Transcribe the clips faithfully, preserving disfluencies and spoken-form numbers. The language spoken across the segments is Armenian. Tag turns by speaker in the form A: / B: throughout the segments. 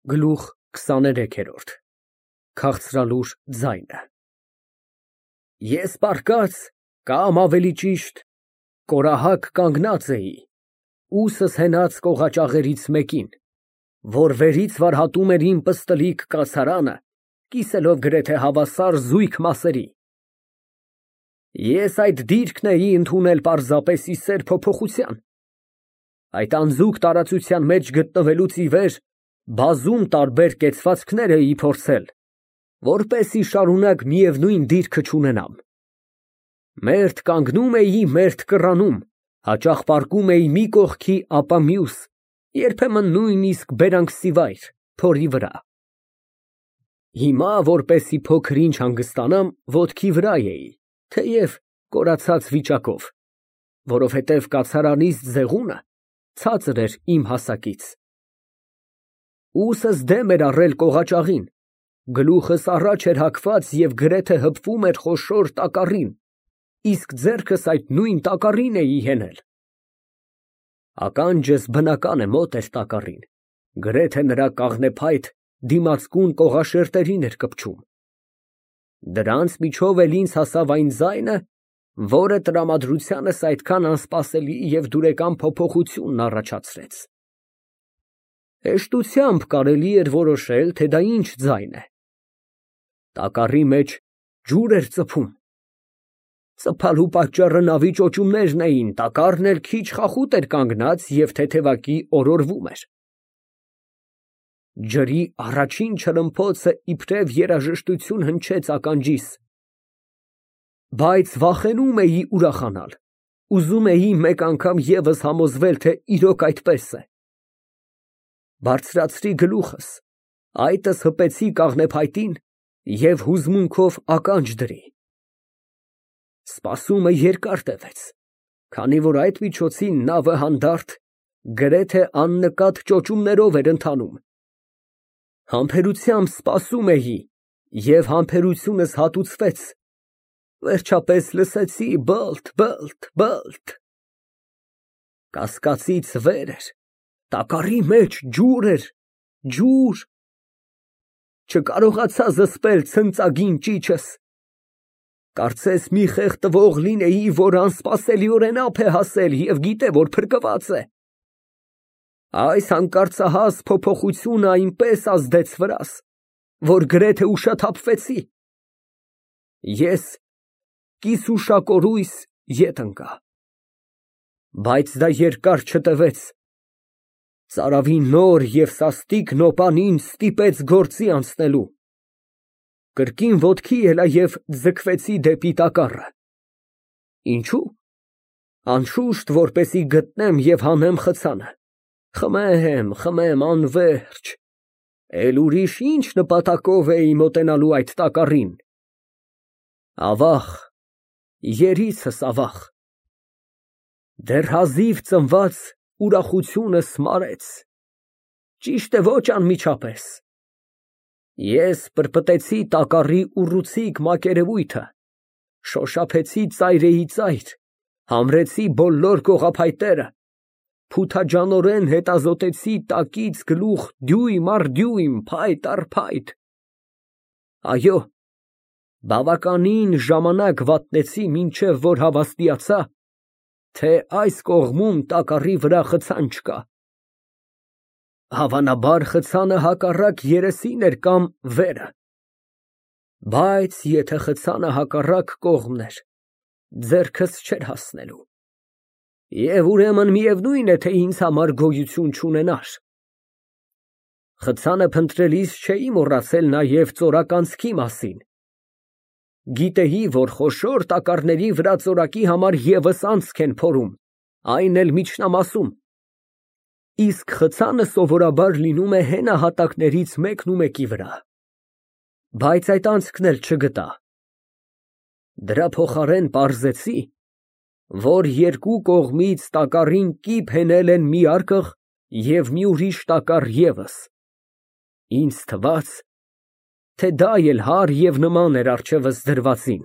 A: Գլուխ քսաներեքերորդ Քաղցրալուր ձայնը Ես պառկած կամ ավելի ճիշտ կորահակ կանգնած էի, ուսս հենած կողաճաղերից մեկին, որ վերից վարհատում էր իմ պստլիկ կացարանը, կիսելով գրեթե հավասար զույգ մասերի։ Ես այդ դիրքն էի ընդունել պարզապես ի սեր փոփոխության, այդ անձուկ տարածության մեջ գտնվելուց ի վեր բազում տարբեր կեցվածքներ էի փորձել, որպեսզի շարունակ միևնույն դիրքը չունենամ։ Մերթ կանգնում էի, մերթ կռանում, հաճախ պառկում էի մի կողքի, ապա մյուս, երբեմն նույնիսկ բերանքսիվայր, փորի վրա։ Հիմա, որպեսզի փոքր-ինչ հանգստանամ, ոտքի վրա էի, թեև կորացած վիճակով, որովհետև կացարանիս ձեղունը ցածր էր իմ հասակից։ Ուսս դեմ էր առել կողաճաղին, գլուխս առաջ էր հագված և գրեթե հպվում էր խոշոր տակառին, իսկ ձեռքս այդ նույն տակառին էի հենել։ Ականջս, բնական է, մոտ էր տակառին, գրեթե նրա կաղնեփայտ դիմացկուն կողաշերտերին էր կպչում։ Դրանց միջով էլ ինձ հասավ այն ձայնը, որը տրամադրությանս այդքան անսպասելի և դուրեկան փոփոխությունն առաջացրեց։ Հեշտությամբ կարելի էր որոշել, թե դա ինչ ձայն է։ Տակառի մեջ ջուր էր ծփում։ Ծփալու պատճառը նավի ճոճումներն էին, տակառն էլ քիչ խախուտ էր կանգնած և թեթևակի օրորվում էր։ Ջրի առաջին չրմփոցը իբրև երաժշտություն հնչեց ականջիս, բայց վախենում էի ուրախանալ, ուզում էի մեկ անգամ ևս համոզվել, թե իրոք այդպես է։ Բարձրացրի գլուխս, այտս հպեցի կաղնեփայտին և հուզմունքով ականջ դրի։ Սպասումը երկար տևեց, քանի որ այդ միջոցին նավը հանդարտ, գրեթե աննկատ ճոճումներով էր ընթանում։ Համբերությամբ սպասում էի և համբերությունս հատուցվեց, վերջապես լսեցի բալթ֊բալթ֊բալթ։ Կասկածից վեր էր, տակառի մեջ ջուր էր, ջուր։ Չկարողացա զսպել ցնծագին ճիչս։ Կարծես մի խեղդվող լինեի, որ անսպասելիորեն ափ է հասել և գիտե, որ փրկված է։ Այս հանկարծահաս փոփոխությունը այնպես ազդեց վրաս, որ գրեթե ուշաթափվեցի։ Ես կիսուշակորույս ետ ընկա։ Բայց դա երկար չտևեց։ Ծարավի նոր և սաստիկ նոպան ինձ ստիպեց գործի անցնելու։ Կրկին ոտքի ելա և ձգվեցի դեպի տակառը։ Ինչո՞ւ։ Անշուշտ, որպեսզի գտնեմ և հանեմ խցանը։ Խմեմ, խմեմ անվերջ, էլ ուրիշ ի՞նչ նպատակով էի մոտենալու այդ տակառին։ Ավաղ, երիցս ավաղ։ Դեռ հազիվ ծնված ուրախությունս մարեց, ճիշտ է, ոչ անմիջապես։ Ես պրպտեցի տակառի ուռուցիկ մակերևույթը, շոշափեցի ծայրեի ծայր, համրեցի բոլոր կողափայտերը, փութաջանորեն հետազոտեցի տակից գլուխ դյույմ առ դյույմ, փայտ առ փայտ։ Այո, բավականին ժամանակ վատնեցի, մինչև որ հավաստիացա, թե այս կողմում տակառի վրա խցան չկա։ Հավանաբար խցանը հակառակ երեսին էր կամ վերը։ Բայց եթե խցանը հակառակ կողմն էր, ձեռքս չէր հասնելու։ Եվ ուրեմն միևնույն է, թե ինձ համար գոյություն չունենար։ Խցանը փնտրելիս չէի մոռացել նաև ծորականցքի մասին։ Գիտեի, որ խոշոր տակառների վրա ծորակի համար ևս անցք են փորում, այն էլ միջնամասում, իսկ խցանը սովորաբար լինում է հենահատակներից մեկն ու մեկի վրա։ Բայց այդ անցքն էլ չգտա։ Դրա փոխարեն պարզեցի, որ երկու կողմից տակառին կիպ հենել են մի արկղ և մի ուրիշ տակառ ևս։ Ինձ թվաց, թե դա էլ հարր և նման էր առջևս դրվածին։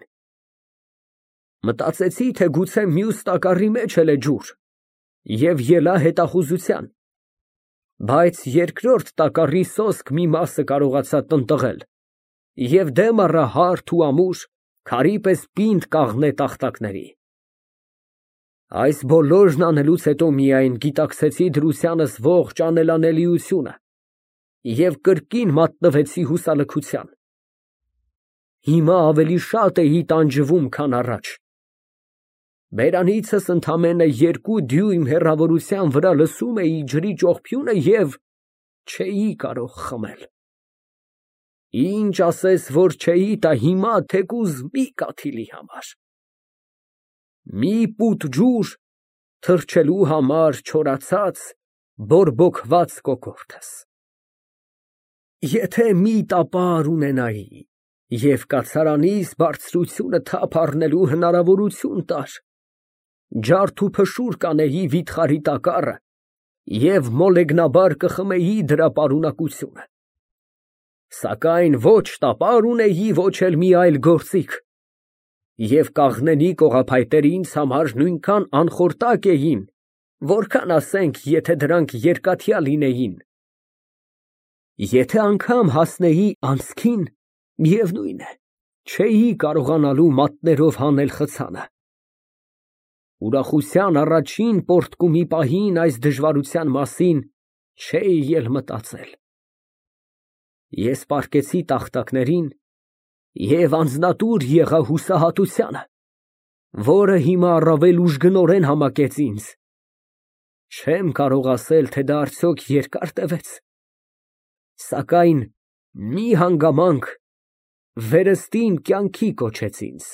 A: Մտածեցի, թե գուցե մյուս տակառի մեջ էլ է ջուր, և ելա հետախուզության։ Բայց երկրորդ տակառի սոսկ մի մասը կարողացա տնտղել և դեմ առա հարթ ու ամուր, քարի պես պինդ կաղնե տախտակների։ Այս բոլորն անելուց հետո միայն գիտակցեցի դրությանս ողջ անելանելիությունը և կրկին մատնվեցի հուսալքության։ Հիմա ավելի շատ էի տանջվում, քան առաջ։ Բերանիցս ընդամենը երկու դյույմ հեռավորության վրա լսում էի ջրի ճողփյունը և չէի կարող խմել։ Ինչ ասես, որ չէի տա հիմա թեկուզ մի կաթիլի համար։ Մի պուտ ջուր թռչելու համար չորացած, բորբոքված կոկորդս։ Եթե մի տապար ունենայի և կացարանիս բարձրությունը թափ առնելու հնարավորություն տար, ջարդ ու փշուր կանեի վիթխարի տակառը և մոլեգնաբար կխմեի դրա պարունակությունը, սակայն ոչ տապար ունեի, ոչ էլ մի այլ գործիք, և կաղնենի կողափայտերը ինձ համար նույնքան անխորտակ էին, որքան, ասենք, եթե դրանք երկաթյա լինեին։ Եթե անգամ հասնեի անցքին, միևնույն է, չէի կարողանալու մատներով հանել խցանը։ Ուրախության առաջին պոռթկումի պահին այս դժվարության մասին չէի էլ մտածել։ Ես պառկեցի տախտակներին և անձնատուր եղա հուսահատությանը, որը հիմա առավել ուժգնորեն համակեց ինձ։ Չեմ կարող ասել, թե դա արդյոք երկար տևեց, սակայն մի հանգամանք վերստին կյանքի կոչեց ինձ։